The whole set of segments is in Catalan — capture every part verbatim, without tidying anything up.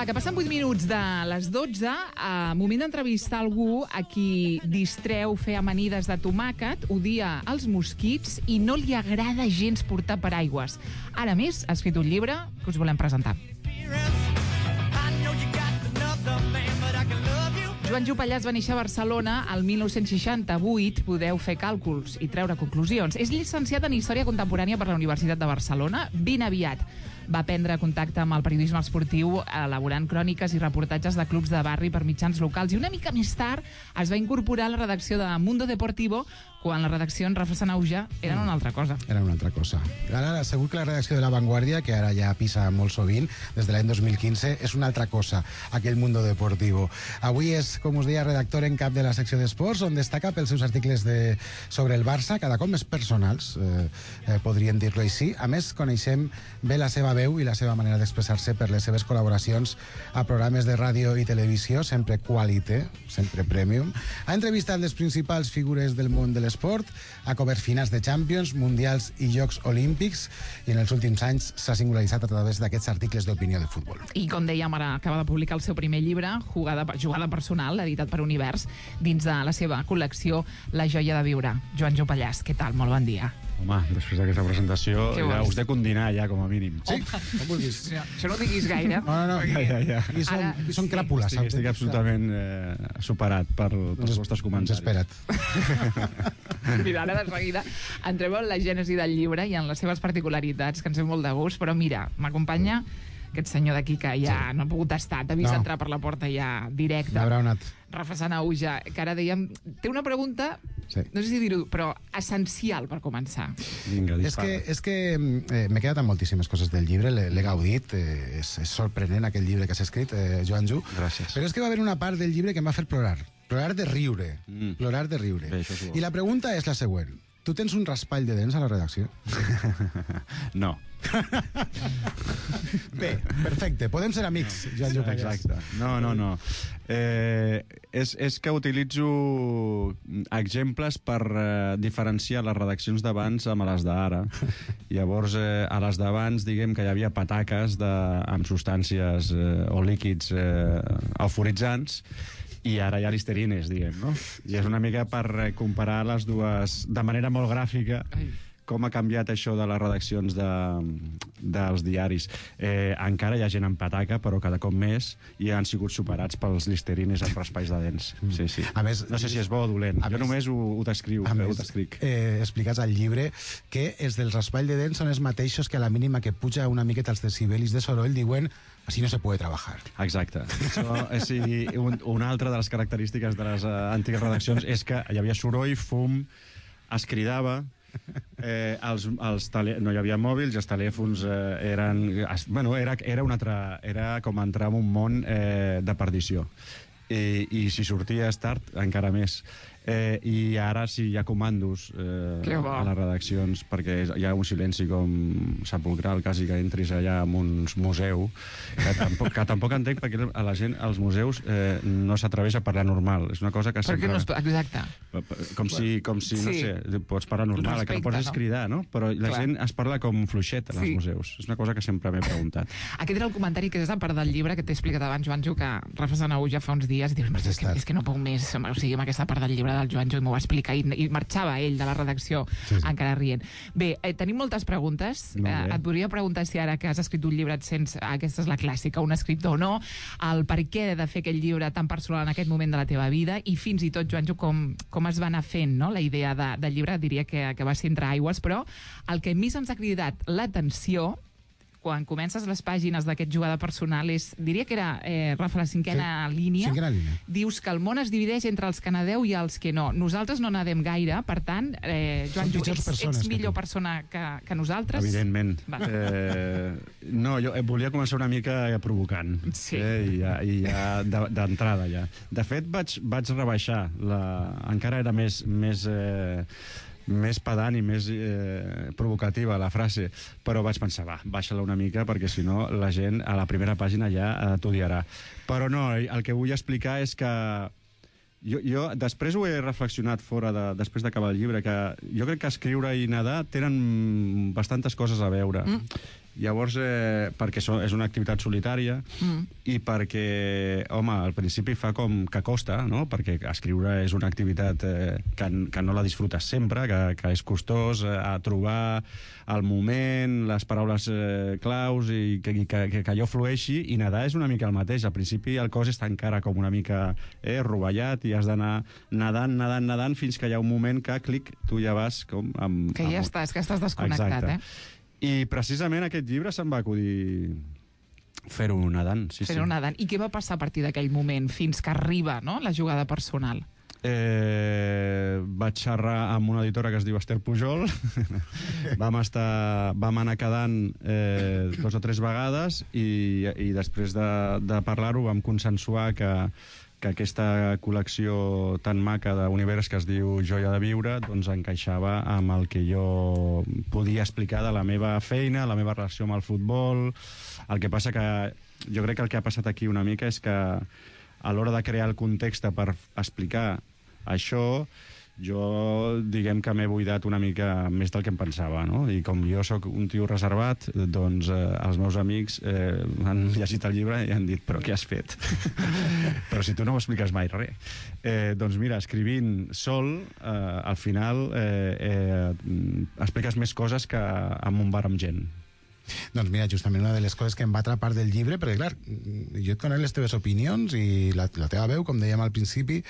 que passen vuit minuts de les dotze, a moment d'entrevistar algú a qui distreu fer amanides de tomàquet, odia els mosquits i no li agrada gens portar paraigües. Ara més, ha escrit un llibre que us volem presentar. Joan Jopallàs va néixer a Barcelona el mil nou-cents seixanta-vuit. Podeu fer càlculs i treure conclusions. És llicenciat en Història Contemporània per la Universitat de Barcelona. Ben aviat va prendre contacte amb el periodisme esportiu, elaborant cròniques i reportatges de clubs de barri per mitjans locals. I una mica més tard es va incorporar a la redacció de Mundo Deportivo, quan la redacció en Rafa Sanauja eren una altra cosa. Era una altra cosa. Ara, segur que la redacció de La Vanguardia, que ara ja pisa molt sovint, des de l'any dos mil quinze, és una altra cosa, aquell Mundo Deportivo. Avui és, com us deia, redactor en cap de la secció d'esports, on destaca pels seus articles de, sobre el Barça, cada cop més personals, eh, eh, podríem dir-lo així. A més, coneixem bé la seva veu i la seva manera d'expressar-se per les seves col·laboracions a programes de ràdio i televisió, sempre qualité, sempre premium. Ha entrevistat les principals figures del món de l'esport, ha cobert finals de Champions, Mundials i Jocs Olímpics, i en els últims anys s'ha singularitzat a través d'aquests articles d'opinió de futbol. I com dèiem, ara acaba de publicar el seu primer llibre, Jugada, jugada personal, editat per Univers, dins de la seva col·lecció La joia de viure. Joan Jopallàs, què tal? Molt bon dia. Home, després d'aquesta presentació ja us dec un dinar ja, com a mínim. Sí, com vulguis. No, això no ho diguis gaire. No, no, no. Ja, ja, ja. I són, Ara, i són sí. cràpules. Estic, estic absolutament eh, superat per, pels vostres comentaris. Espera't. Mira, ara de seguida entrem en la gènesi del llibre i en les seves particularitats, que ens fem molt de gust, però mira, m'acompanya aquest senyor d'aquí que ja sí. no ha pogut estar, t'ha vist No. entrar per la porta ja directe. Abraonat. Rafa Sanauja, que ara dèiem, té una pregunta, Sí. no sé si dir-ho, però essencial per començar. Vinga, És dispara. que, és que eh, m'he quedat amb moltíssimes coses del llibre, l'he l'he gaudit, eh, és, és sorprenent aquell llibre que has escrit, eh, Joan Ju. Gràcies. Però és que va haver una part del llibre que em va fer plorar. Plorar de riure. Mm. Plorar de riure. Bé, això és bo. I la pregunta és la següent. Tu tens un raspall de dents a la redacció? No. Bé, perfecte. Podem ser amics, Joan Ju Pallàs. Exacte. No, no, no. Eh, és, és que utilitzo exemples per eh, diferenciar les redaccions d'abans amb les d'ara. Llavors, eh, a les d'abans, diguem que hi havia pataques de, amb substàncies eh, o líquids eh, euforitzants, i ara hi ha listerines, diguem, no? I és una mica per eh, comparar les dues de manera molt gràfica. Ai. Com ha canviat això de les redaccions de, dels diaris. Eh, encara hi ha gent amb pataca, però cada cop més, i han sigut superats pels listerines amb raspalls de dents. Sí, sí. A més, no sé si és bo o dolent. a Jo més- només ho, ho t'escriu, A ho més, t'escric. eh, explicats al llibre que els del raspall de dents són els mateixos que a la mínima que puja una miqueta els decibelis de soroll diuen així no se puede trabajar. Exacte. Això, és, sí, un, una altra de les característiques de les uh, antigues redaccions és que hi havia soroll, fum, es cridava, eh, els, els tele... no hi havia mòbils i els telèfons eh, eren... Es, bueno, era, era, un altre, era com entrar en un món eh, de perdició. I, i si sorties tard, encara més. Eh, I ara sí hi ha comandos eh, a les redaccions, perquè hi ha un silenci com sepulcral, quasi que entris allà en un museu, que tampoc, que tampoc entenc perquè a la gent als museus eh, no s'atreveix a parlar normal. És una cosa que Per què sempre... no es... Exacte. Com si, com si no Sí. sé, pots parlar normal, Respecte, que no pots no? cridar, no? Però la Clar. gent es parla com fluixet als Sí. museus. És una cosa que sempre m'he preguntat. Aquest era el comentari que és a part del llibre que t'he explicat abans, Joanjo, que Rafa Sanauja fa uns dies i dius, és que, és que no puc més, o sigui, amb aquesta part del llibre del Joanjo, i m'ho va explicar, i, i marxava ell de la redacció Sí, sí. encara rient. Bé, eh, tenim moltes preguntes. Molt Eh, bé. et podria preguntar si ara que has escrit un llibre et sents, aquesta és la clàssica, un escriptor o no, el per què de fer aquest llibre tan personal en aquest moment de la teva vida, i fins i tot, Joanjo, com, com es va anar fent, no? La idea de, del llibre diria que, que va ser entre aigües, però el que més ens ha cridat l'atenció quan comences les pàgines d'aquest jugada personal és, diria que era, eh, Rafa, la cinquena Sí, línia. cinquena línia. Dius que el món es divideix entre els que nadeu i els que no. Nosaltres no nadem gaire, per tant, eh, Joan, Som pitjors ets, persones ets que millor tu. persona que, que nosaltres? Evidentment. Va. Eh, no, jo eh, volia començar una mica provocant. Sí. Eh, I ja, i ja de- d'entrada, ja. De fet, vaig, vaig rebaixar. La, encara era més... més eh, més pedant i més eh, provocativa la frase, però vaig pensar, va, baixa-la una mica perquè si no la gent a la primera pàgina ja eh, t'odiarà. Però no, el que vull explicar és que jo, jo després ho he reflexionat fora de, després d'acabar el llibre, que jo crec que escriure i nedar tenen bastantes coses a veure. Mm. Llavors, eh, perquè so, és una activitat solitària mm. i perquè, home, al principi fa com que costa, no? Perquè escriure és una activitat eh, que, que no la disfrutes sempre, que, que és costós eh, a trobar el moment, les paraules eh, claus i que, que, que, que allò flueixi, i nedar és una mica el mateix. Al principi el cos està encara com una mica eh, rovellat i has d'anar nedant, nedant, nedant, fins que hi ha un moment que, clic, tu ja vas com... Amb, que ja amb... estàs, que estàs desconnectat, Exacte. eh? I precisament aquest llibre se'm va acudir fer-ho nedant. Sí, fer-ho sí. nedant. I què va passar a partir d'aquell moment fins que arriba, no?, la jugada personal? Eh, vaig xerrar amb una editora que es diu Esther Pujol. vam, estar, vam anar quedant eh, dos o tres vegades i, i després de, de parlar-ho vam consensuar que que aquesta col·lecció tan maca d'univers que es diu Joia de viure doncs encaixava amb el que jo podia explicar de la meva feina, la meva relació amb el futbol. El que passa que jo crec que el que ha passat aquí una mica és que a l'hora de crear el context per explicar això, jo diguem que m'he buidat una mica més del que em pensava, no? I com jo sóc un tio reservat, doncs eh, els meus amics eh, han llegit el llibre i han dit, però què has fet? Però si tu no ho expliques mai res. Eh, doncs mira, escrivint sol, eh, al final eh, eh, expliques més coses que en un bar amb gent. Doncs mira, justament una de les coses que em va atrapar del llibre, perquè clar, jo et conec les teves opinions i la, la teva veu, com dèiem al principi,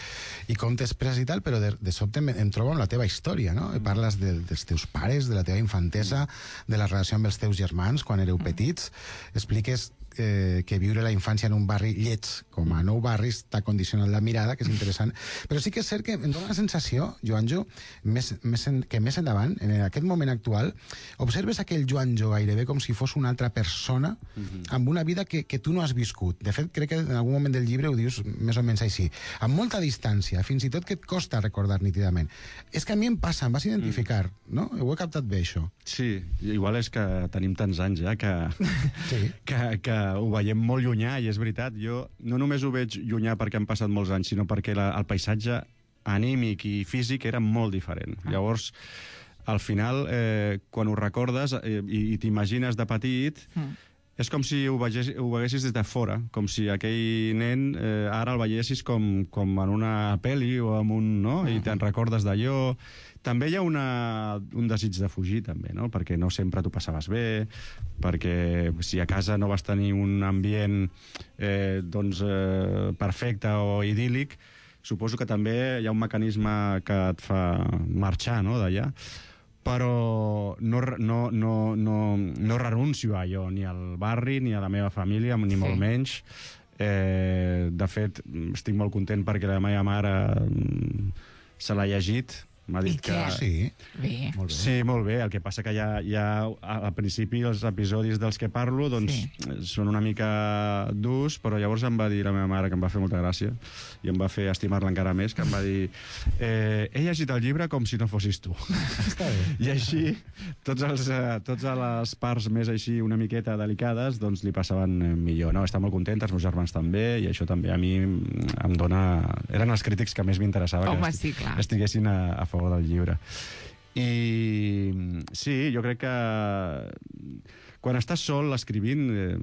i com t'expresses i tal, però de, de sobte em, em trobo amb la teva història, no? Mm. Parles de, dels teus pares, de la teva infantesa, mm. de la relació amb els teus germans quan éreu mm. petits, expliques eh, que viure la infància en un barri lleig, com a nou barris, t'ha condicionat la mirada, que és interessant, però sí que és cert que em dóna la sensació, Joanjo, més, més en, que més endavant, en aquest moment actual, observes aquell Joanjo gairebé com si fos una altra persona uh-huh. amb una vida que, que tu no has viscut. De fet, crec que en algun moment del llibre ho dius més o menys així, amb molta distància, fins i tot que et costa recordar nítidament. És que a mi em passa, em vas identificar, mm. no? Ho he captat bé, això. Sí, igual és que tenim tants anys ja que, sí. que, que ho veiem molt llunyà, i és veritat, jo no només ho veig llunyà perquè han passat molts anys, sinó perquè la, el paisatge anímic i físic era molt diferent. Ah. Llavors, al final, eh, quan ho recordes eh, i, i t'imagines de petit, mm. és com si ho, veies, ho veiessis des de fora, com si aquell nen eh, ara el veiessis com, com en una pel·li o en un... no? Mm. I te'n recordes d'allò. També hi ha una, un desig de fugir, també, no? Perquè no sempre t'ho passaves bé, perquè si a casa no vas tenir un ambient eh, doncs, eh, perfecte o idíl·lic, suposo que també hi ha un mecanisme que et fa marxar, no?, d'allà. Però no, no, no, no, no renuncio a allò, ni al barri, ni a la meva família, ni sí. molt menys. Eh, de fet, estic molt content perquè la meva mare se l'ha llegit. M'ha dit que... Sí. Bé. Molt bé. Sí, molt bé. El que passa que ja, ja al principi els episodis dels que parlo doncs, sí. són una mica durs, però llavors em va dir la meva mare, que em va fer molta gràcia, i em va fer estimar-la encara més, que em va dir eh, he llegit el llibre com si no fossis tu. Està bé. I així, tots els, eh, tots les parts més així una miqueta delicades, doncs li passaven millor. No, està molt content, els meus germans també, i això també a mi em dona... Eren els crítics que més m'interessava que sí, clar. estiguessin a, a favor del llibre. I sí, jo crec que quan estàs sol escrivint eh,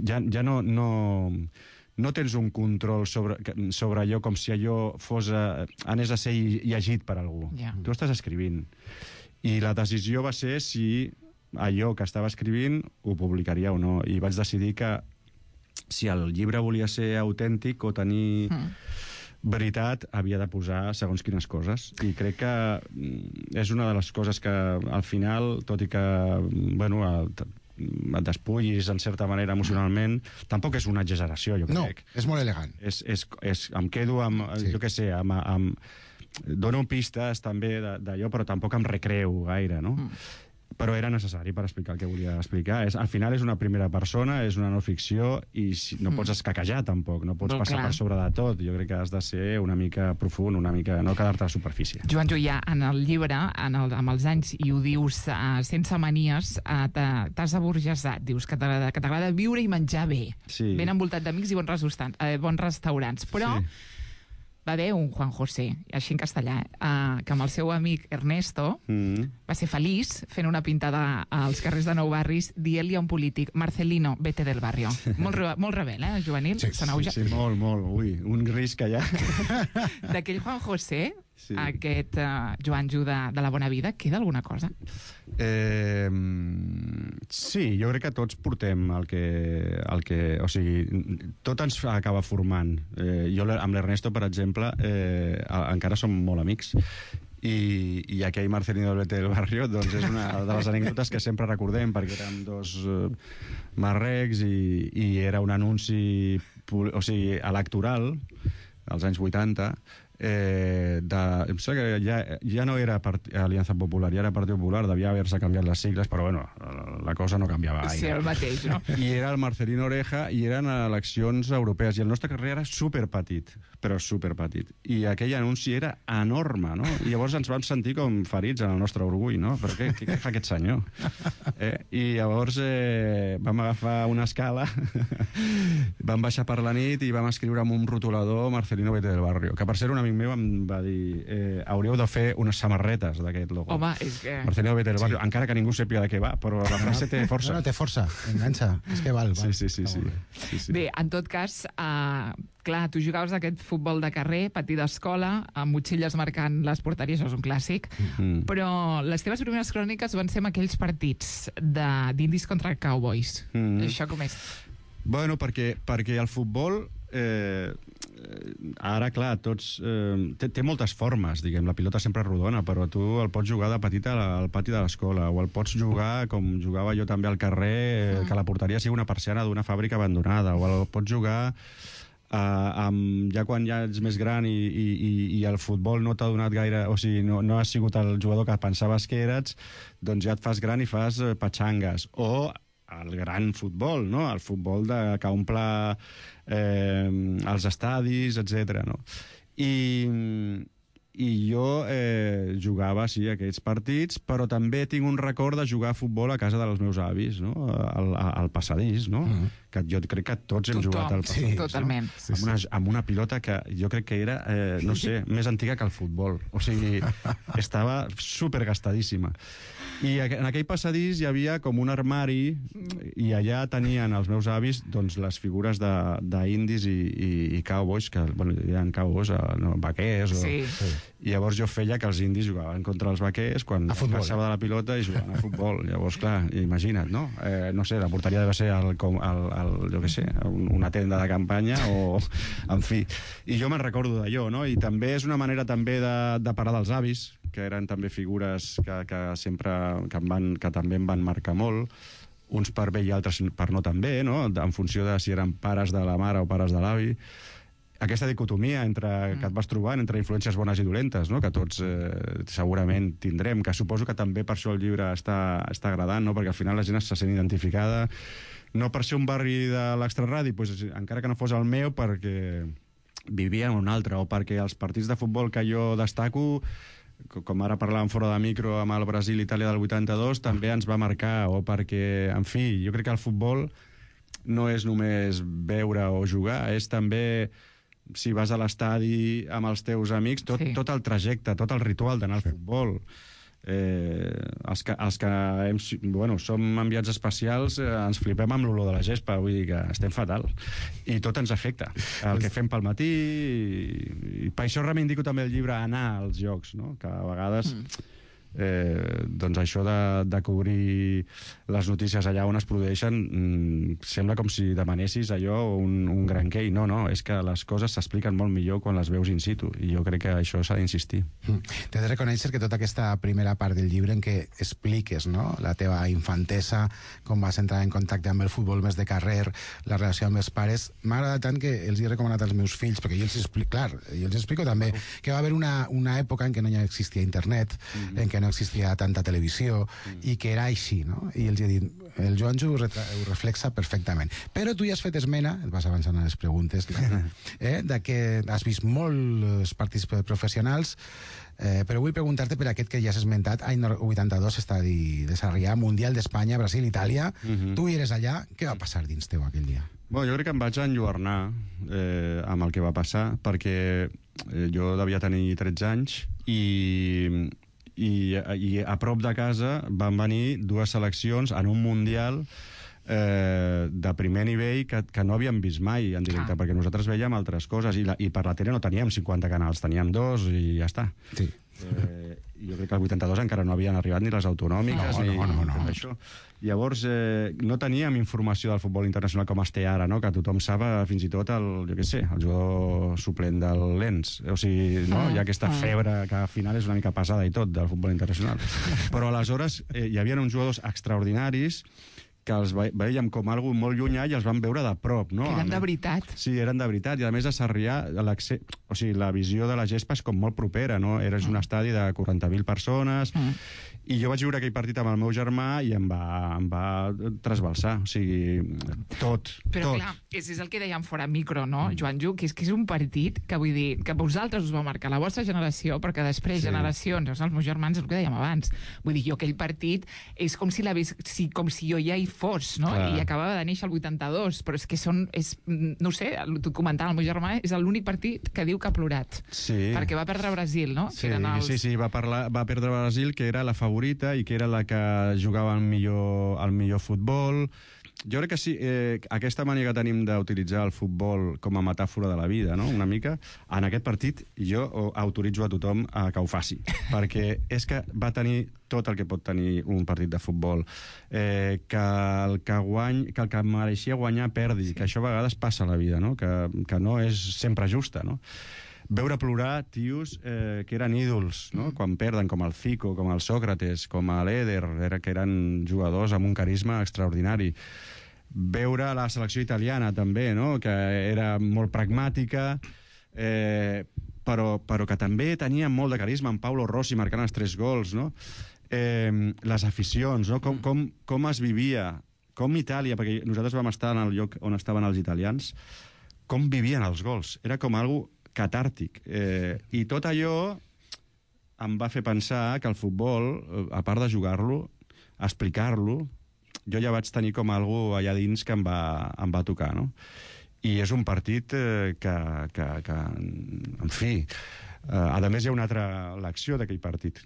ja, ja no, no, no tens un control sobre, sobre allò com si allò fos a, anés a ser llegit per algú. Yeah. Tu estàs escrivint. I la decisió va ser si allò que estava escrivint ho publicaria o no. I vaig decidir que si el llibre volia ser autèntic o tenir... Mm. veritat, havia de posar segons quines coses, i crec que és una de les coses que al final, tot i que bueno, et despullis en certa manera emocionalment, tampoc és una exageració, jo crec. No, és molt elegant. És, és, és, em quedo amb, sí. jo què sé, amb, amb, dono pistes també d'allò, però tampoc em recreo gaire, no? Mm. Però era necessari per explicar el que volia explicar. És, al final és una primera persona, és una no ficció, i si, no pots escaquejar tampoc, no pots no, passar clar. per sobre de tot. Jo crec que has de ser una mica profund, una mica, no quedar-te a la superfície. Joan Julià, en el llibre, en el, amb els anys, i ho dius uh, sense manies, uh, t'has aburgesat, dius que t'agrada viure i menjar bé, sí. ben envoltat d'amics i bons restaurants, eh, bons restaurants. Però... Sí. va haver un Juan José, així en castellà, eh, que amb el seu amic Ernesto Mm. va ser feliç fent una pintada als carrers de Nou Barris dient-li a un polític, Marcelino, vete del barrio. Molt, re molt rebel, eh, juvenil? Sí, Sanauja. Sí, molt, molt. Ui, un risc allà. D'aquell Juan José, Sí. aquest uh, Joanjo de, de la bona vida, queda alguna cosa? Eh, sí, jo crec que tots portem el que... El que o sigui, tot ens acaba formant. Eh, jo amb l'Ernesto, per exemple, eh, encara som molt amics. I, i aquell Marcelino del Vete del Barrio doncs és una de les anècdotes que sempre recordem, perquè érem dos eh, marrecs i, i era un anunci o sigui, electoral als anys vuitanta. Eh, de, em sembla que ja, ja no era part, Aliança Popular, ja era Partit Popular, devia haver-se canviat les sigles, però bueno, la cosa no canviava gaire. Sí, el mateix, no? I era el Marcelino Oreja i eren eleccions europees i el nostre carrer era superpetit, però superpetit. I aquell anunci era enorme, no? I llavors ens vam sentir com ferits en el nostre orgull, no? Però què, què fa aquest senyor? Eh? I llavors eh, vam agafar una escala, vam baixar per la nit i vam escriure amb un rotulador Marcelino Vete del Barrio, que per ser un amic meu em va dir eh, hauríeu de fer unes samarretes d'aquest logo. Home, és que... Marcelino Vete del Barrio, sí. Encara que ningú sàpiga de què va, però la frase té força. No, no, té força, enganxa, és que val. val. Sí, sí, sí. sí. sí, sí. Bé, en tot cas, uh, clar, tu jugaves aquest futbol de carrer, patí d'escola, amb motxilles marcant les porteries, això és un clàssic, Mm. però les teves primeres cròniques van ser amb aquells partits d'indis contra Cowboys. Mm. Això com és? Bueno, perquè, perquè el futbol... Eh, ara, clar, tots... Eh, té, té moltes formes, diguem. La pilota sempre és rodona, però tu el pots jugar de petit al pati de l'escola, o el pots jugar, com jugava jo també al carrer, eh, que la porteria sigui una persiana d'una fàbrica abandonada, o el pots jugar... Uh, amb, ja quan ja ets més gran i, i, i, i el futbol no t'ha donat gaire, o sigui, no, no has sigut el jugador que pensaves que eres, doncs ja et fas gran i fas uh, patxangues. O el gran futbol, no? El futbol de, que omple eh, els estadis, etcètera. No? I, i jo eh, jugava, sí, aquests partits, però també tinc un record de jugar a futbol a casa dels meus avis, no? al, al passadís, no? Mm. Que jo crec que tots hem Tothom, jugat al passadís. sí, totalment. No? Sí, sí. Amb, una, amb una pilota que jo crec que era, eh, no sé, més antiga que el futbol. O sigui, estava supergastadíssima. I en aquell passadís hi havia com un armari i allà tenien els meus avis doncs, les figures d'indis i, i, i cowboys, que bueno, hi ha cowboys, no, vaquers... O, Sí. Sí. I llavors jo feia que els indis jugaven contra els vaquers quan passava de la pilota i jugaven a futbol. Llavors, clar, imagina't, no? Eh, no sé, la porteria deve ser el, el, el, jo què sé, una tenda de campanya o... En fi. I jo me'n recordo d'allò, no? I també és una manera també de, de parar dels avis, que eren també figures que, que sempre que, em van, que també em van marcar molt, uns per bé i altres per no tan bé, no? En funció de si eren pares de la mare o pares de l'avi. Aquesta dicotomia entre, mm. que et vas trobant entre influències bones i dolentes, no? Que tots eh, segurament tindrem, que suposo que també per això el llibre està, està agradant, no? Perquè al final la gent se sent identificada, no per ser un barri de l'extraradi, pues, encara que no fos el meu, perquè vivia en un altre, o perquè els partits de futbol que jo destaco, com ara parlàvem fora de micro amb el Brasil-Itàlia del vuitanta-dos, també ens va marcar, o perquè, en fi, jo crec que el futbol no és només veure o jugar, és també... si vas a l'estadi amb els teus amics, tot, sí. tot el trajecte, tot el ritual d'anar al futbol. Eh, els que, els que hem, bueno, som enviats especials eh, ens flipem amb l'olor de la gespa, vull dir que estem fatal. I tot ens afecta. El que fem pel matí... I, i per això reivindico també el llibre Anar als jocs, no? Que a vegades... Mm. Eh, doncs això de, de cobrir les notícies allà on es produeixen mm, sembla com si demanessis allò un, un gran quei. No, no, és que les coses s'expliquen molt millor quan les veus in situ i jo crec que això s'ha d'insistir. Mm. T'he de reconèixer que tota aquesta primera part del llibre en què expliques, no?, la teva infantesa, com vas entrar en contacte amb el futbol més de carrer, la relació amb els pares, m'ha agradat tant que els he recomanat als meus fills, perquè jo els explico, clar, jo els explico també que va haver una, una època en què no hi existia internet, mm-hmm. en què no existia tanta televisió, mm. i que era així, no? I els he dit, el Joanjo ho, ho reflexa perfectament. Però tu ja has fet esmena, et vas avançant a les preguntes, eh, de que has vist molts partits professionals, eh, però vull preguntar-te per aquest que ja has esmentat, any vuitanta-dos, estadi de Sarrià, Mundial d'Espanya, Brasil, Itàlia. Mm-hmm. Tu hi eres allà, què va passar dins teu aquell dia? Bueno, jo crec que em vaig enlluernar eh, amb el que va passar, perquè eh, jo devia tenir tretze anys, i, i, i a prop de casa van venir dues seleccions en un Mundial eh, de primer nivell que, que no havíem vist mai en directe, ah. perquè nosaltres veiem altres coses, i, la, i per la tele no teníem cinquanta canals, teníem dos i ja està. Sí. Eh, jo crec que al vuitanta-dos encara no havien arribat ni les autonòmiques, no, ni, no, no, no. ni tot això. Llavors, eh, no teníem informació del futbol internacional com es té ara, no? Que tothom sap, fins i tot el, jo què sé, el jugador suplent del Lens. O sigui, no? Hi ha aquesta febre que al final és una mica pesada i tot del futbol internacional. Però aleshores eh, hi havia uns jugadors extraordinaris que els veiem com algo molt llunyà i els vam veure de prop, no? Que eren de veritat. Sí, eren de veritat. I a més a Sarrià, o sigui, la visió de la gespa és com molt propera, no? Eres un estadi de quaranta mil persones, mm. i jo vaig viure aquell partit amb el meu germà i em va, em va trasbalsar. O sigui, tot, Però tot. clar, és, és el que dèiem fora micro, no, mm. Joan Ju, que és que és un partit que, vull dir, que vosaltres us va marcar la vostra generació, perquè després sí. generacions, els meus germans, el que dèiem abans, vull dir, jo aquell partit és com si, la vis, si, com si jo ja hi fos, no? Clar. I acabava de néixer el vuitanta-dos, però és que són, és, no sé, tu comentava, el meu germà és l'únic partit que diu que ha plorat. Sí. Perquè va perdre Brasil, no? Sí, els... sí, sí, va, parlar, va perdre Brasil, que era la favorita i que era la que jugava el millor, el millor futbol. Jo crec que sí, eh, aquesta manera que tenim d'utilitzar el futbol com a metàfora de la vida, no?, una mica, en aquest partit jo autoritzo a tothom a que ho faci, perquè és que va tenir tot el que pot tenir un partit de futbol, eh, que, el que, guany, que el que mereixia guanyar perdi, sí. que això a vegades passa a la vida, no?, que, que no és sempre justa, no? Veure plorar tios eh, que eren ídols, no? Quan perden, com el Zico, com el Sòcrates, com l'Eder, era, que eren jugadors amb un carisma extraordinari. Veure la selecció italiana, també, no? Que era molt pragmàtica, eh, però, però que també tenia molt de carisma, amb Paolo Rossi marcant els tres gols, no? Eh, les aficions, no? Com, com, com es vivia, com Itàlia, perquè nosaltres vam estar en el lloc on estaven els italians, com vivien els gols. Era com algo catàrtic. Eh, I tot allò em va fer pensar que el futbol, a part de jugar-lo, explicar-lo, jo ja vaig tenir com algo allà dins que em va, em va tocar, no? I és un partit eh, que, que, que, en fi, eh, a més hi ha una altra lecció d'aquell partit,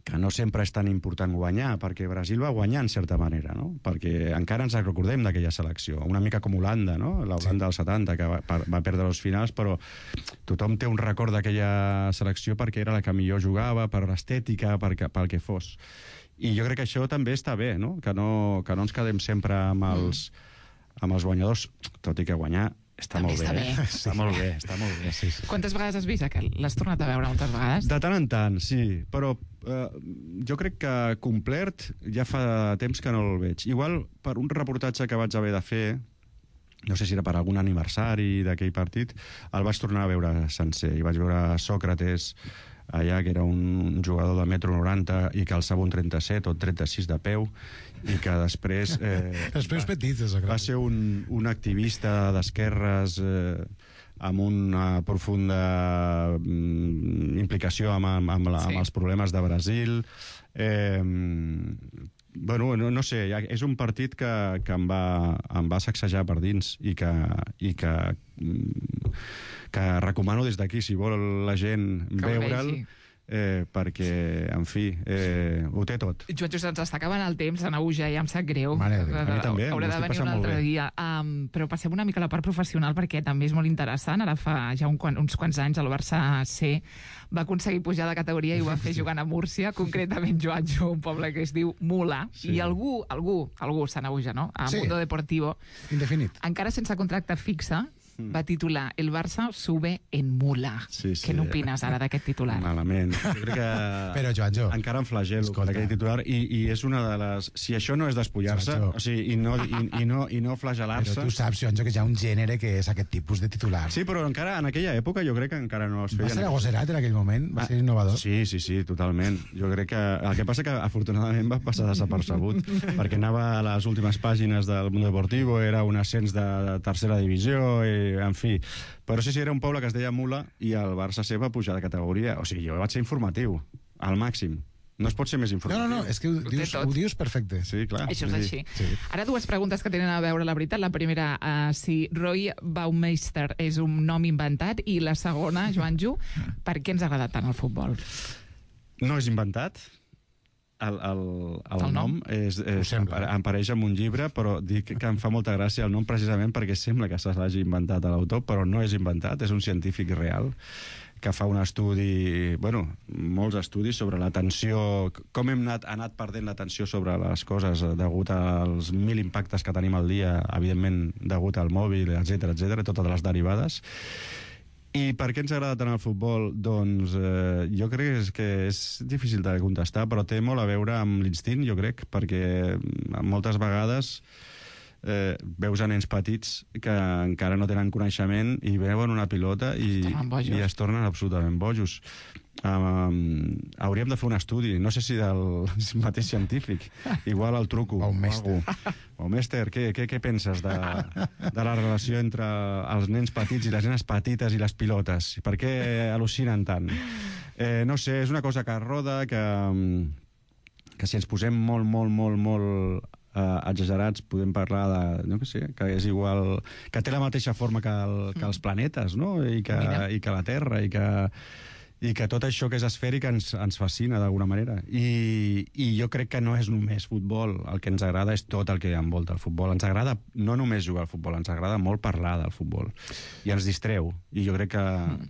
que no sempre és tan important guanyar, perquè Brasil va guanyar en certa manera, no? Perquè encara ens recordem d'aquella selecció, una mica com Holanda, no? La Holanda sí. del setanta, que va, va perdre els finals, però tothom té un record d'aquella selecció perquè era la que millor jugava, per l'estètica, pel que fos. I jo crec que això també està bé, no? Que no, que no ens quedem sempre amb els, amb els guanyadors, tot i que guanyar està també molt està bé. bé. Eh? Està molt bé, està molt bé. Sí, sí. Quantes vegades has vist aquell? L'has tornat a veure moltes vegades? De tant en tant, sí, però eh, jo crec que complet ja fa temps que no el veig. Igual per un reportatge que vaig haver de fer, no sé si era per algun aniversari d'aquell partit, el vaig tornar a veure sencer, i vaig veure Sòcrates allà, que era un jugador de metro noranta i que alçava un trenta-set o trenta-sis de peu, i que després... Eh, Els peus petits, de Sòcrates. Va ser un, un activista d'esquerres eh, amb una profunda mm, implicació amb, amb, amb, la, sí. amb els problemes de Brasil. Eh, bueno, no, no sé, és un partit que, que em, va, em va sacsejar per dins i que, i que, que recomano des d'aquí, si vol la gent veure'l, eh, perquè, en fi, eh, ho té tot. Joan Josep, ens està acabant el temps, Anauja, ja em sap greu. Mare, a mi també, haurà de venir un altre dia. Um, però passem una mica a la part professional, perquè també és molt interessant. Ara fa ja un, uns quants anys el Barça C va aconseguir pujar de categoria i ho va fer jugant a Múrcia, concretament Joan Jo, un poble que es diu Mula, sí. I algú, algú, algú, Sanauja, no? A sí. Mundo Deportivo, indefinit, encara sense contracte fixe, va titular El Barça sube en Mula. Sí, sí. Què n'opines ara d'aquest titular? Malament. Jo crec que però, Joanjo, encara em flagelo per aquell titular, i, i és una de les... Si això no és despullar-se, o sigui, i no, i, i no, i no flagelar-se... Però tu saps, Joanjo, que hi ha un gènere que és aquest tipus de titular. Sí, però encara en aquella època jo crec que encara no es feien... Va ser agosserat en aquell moment? Va ser innovador? Sí, sí, sí, totalment. Jo crec que... El que passa que, afortunadament, va passar desapercebut, perquè anava a les últimes pàgines del Mundo Deportivo, era un ascens de tercera divisió, i, en fi... Però sí, sí, era un poble que es deia Mula i el Barça C va pujar de categoria. O sigui, jo vaig ser informatiu, al màxim. No es pot ser més No, informatiu. no, no, és que ho Ho té dius, tot. ho dius perfecte. Sí, clar. Això és Vull així. dir, sí. Ara dues preguntes que tenen a veure la veritat. La primera, uh, si Roy Baumeister és un nom inventat, i la segona, Joanjo, per què ens ha agradat tant el futbol? No és inventat. El, el, el, El nom? nom és, és, em, sembla. em pareix amb un llibre, però dic que em fa molta gràcia el nom precisament perquè sembla que se l'hagi inventat a l'autor, però no és inventat, és un científic real que fa un estudi, bueno, molts estudis sobre l'atenció, com hem anat, anat perdent l'atenció sobre les coses degut als mil impactes que tenim al dia, evidentment degut al mòbil, etcètera, etcètera, totes les derivades. I per què ens agrada tant el futbol? Doncs eh, jo crec que és, que és difícil de contestar, però té molt a veure amb l'instint, jo crec, perquè moltes vegades eh, veus a nens petits que encara no tenen coneixement i veuen una pilota i, Es tornen bojos. i es tornen absolutament bojos. Um, hauríem de fer un estudi, no sé si del mateix científic, igual el truco. Baumeister. Baumeister, què, què, què penses de, de la relació entre els nens petits i les nenes petites i les pilotes? Per què al·lucinen tant? Eh, no sé, és una cosa que roda, que, que si ens posem molt, molt, molt, molt eh, exagerats, podem parlar de, no que sé, que és igual, que té la mateixa forma que, el, que els planetes, no? I que, Mira. i que la Terra, i que, i que tot això que és esfèric ens, ens fascina d'alguna manera. I, I jo crec que no és només futbol, el que ens agrada és tot el que envolta el futbol. Ens agrada no només jugar al futbol, ens agrada molt parlar del futbol. I ens distreu. I jo crec que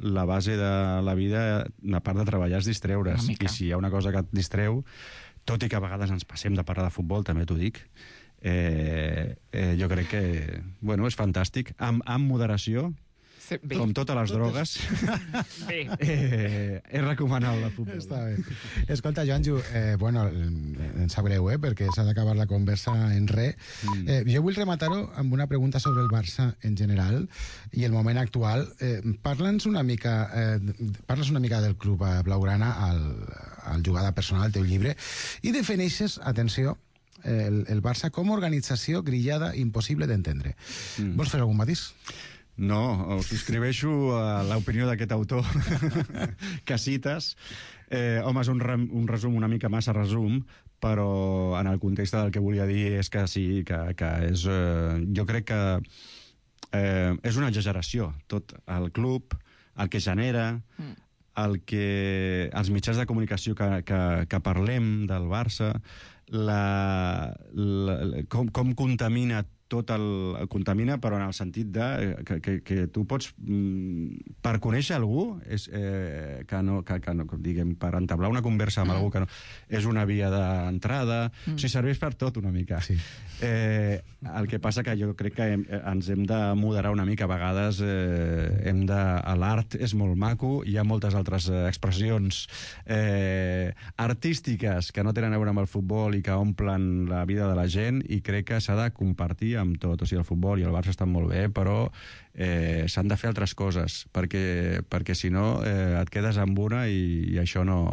la base de la vida, a part de treballar, és distreure's. Una mica. I si hi ha una cosa que et distreu, tot i que a vegades ens passem de parlar de futbol, també t'ho dic, eh, eh, jo crec que bueno, és fantàstic. Amb, amb moderació, Sí, bé. com totes les drogues, Bé. eh, és recomanable el futbol. Està bé. Escolta, Joanjo, eh, bueno, em sap greu, eh, perquè s'ha d'acabar la conversa en res. Mm. Eh, jo vull rematar-ho amb una pregunta sobre el Barça en general i el moment actual. Eh, Parla'ns una mica, eh, parles una mica del club eh, blaugrana al, al jugada personal, al teu llibre, i defineixes, atenció, el, el Barça com a organització grillada impossible d'entendre. Mm. Vols fer algun matís? No, subscriveixo a l'opinió d'aquest autor que cites. Eh, home, és un, re, un resum una mica massa resum, però en el context del que volia dir és que sí, que, que és... Eh, jo crec que eh, és una exageració. Tot el club, el que genera, el que, els mitjans de comunicació que, que, que parlem del Barça, la, la, com, com contamina tot el, el contamina, però en el sentit de que, que, que tu pots, mm, per conèixer algú, és, eh, que no, que, que no, diguem, per entablar una conversa amb mm. algú que no, és una via d'entrada, mm. o sigui, serveix per tot una mica. Sí. Eh, el que passa que jo crec que hem, ens hem de moderar una mica, a vegades eh, hem de... l'art és molt maco, hi ha moltes altres eh, expressions eh, artístiques que no tenen a veure amb el futbol i que omplen la vida de la gent, i crec que s'ha de compartir amb tot. O sigui, el futbol i el Barça estan molt bé, però eh, s'han de fer altres coses, perquè, perquè si no eh, et quedes amb una i, i això no...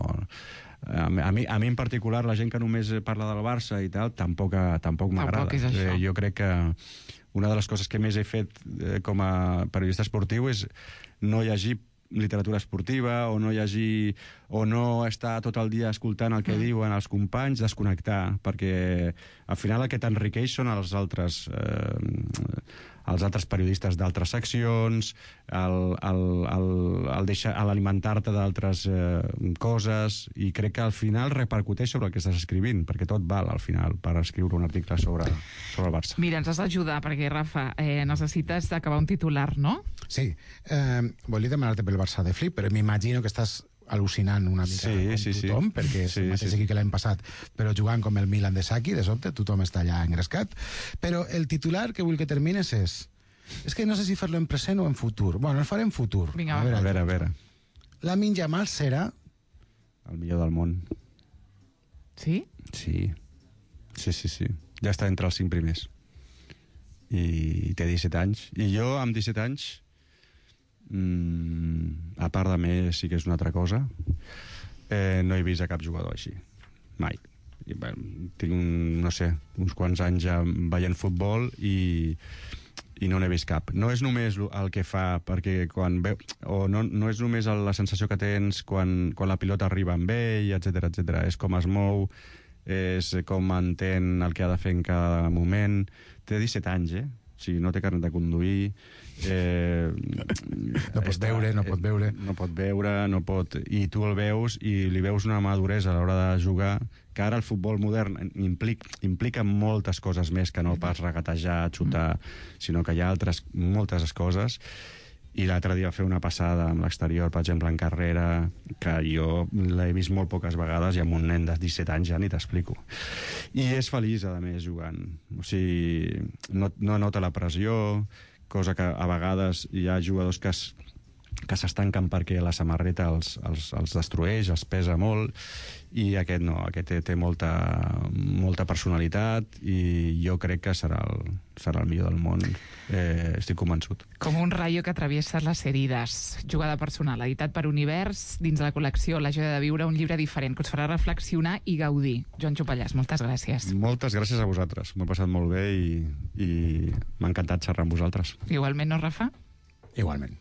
A mi, a, mi, a mi en particular, la gent que només parla del Barça i tal, tampoc, tampoc m'agrada. Tampoc és això. Eh, jo crec que una de les coses que més he fet eh, com a periodista esportiu és no llegir literatura esportiva, o no llegir, o no estar tot el dia escoltant el que mm. diuen els companys, desconnectar, perquè al final el que t'enriqueix són els altres eh, els altres periodistes d'altres seccions, el, el, el, el deixar, l'alimentar-te d'altres eh, coses, i crec que al final repercuteix sobre el que estàs escrivint, perquè tot val al final per escriure un article sobre, sobre el Barça. Mira, ens has d'ajudar, perquè, Rafa, eh, necessites acabar un titular, no? Sí. Eh, volia demanar-te pel Barça de Flip, però m'imagino que estàs al·lucinant una mica Sí, com sí, sí. tothom, perquè és Sí, el mateix sí. equip que l'any passat, però jugant com el Milan de Saki, de sobte, tothom està allà engrescat. Però el titular que vull que termines és... És que no sé si fer-lo en present o en futur. Bueno, el faré en futur. Vinga, va. A veure, a veure. Lamine Yamal serà... El millor del món. Sí? Sí. Sí, sí, sí. Ja està entre els cinc primers. I té disset anys. I jo, amb disset anys, mmm, a part de més, sí que és una altra cosa, eh, no he vist a cap jugador així. Mai. I, bueno, tinc, un, no sé, uns quants anys ja veient futbol i, i no n'he vist cap. No és només el que fa, perquè quan veu, o no, no és només la sensació que tens quan, quan la pilota arriba amb ell, etcètera, etcètera. És com es mou, és com entén el que ha de fer en cada moment. Té disset anys, eh? O sigui, no té carnet de conduir, eh, no pot està, veure, no pot veure. No pot veure, no pot... I tu el veus i li veus una maduresa a l'hora de jugar, que ara el futbol modern implica, implica moltes coses més que no pas regatejar, xutar, sinó que hi ha altres, moltes coses. I l'altre dia va fer una passada amb l'exterior, per exemple, en carrera, que jo l'he vist molt poques vegades i amb un nen de disset anys ja ni t'explico. I és feliç, a més, jugant. O sigui, no, no nota la pressió, cosa que a vegades hi ha jugadors que es, que s'estanquen perquè la samarreta els, els, els destrueix, els pesa molt, i aquest no, aquest té, té molta, molta personalitat i jo crec que serà el, serà el millor del món, eh, estic convençut. Com un rayo que atraviesa les herides, jugada personal, editat per Univers, dins de la col·lecció La joia de viure, un llibre diferent que us farà reflexionar i gaudir. Joan Chopallàs, moltes gràcies. Moltes gràcies a vosaltres, m'ho he passat molt bé i, i m'ha encantat xerrar amb vosaltres. Igualment, no, Rafa? Igualment.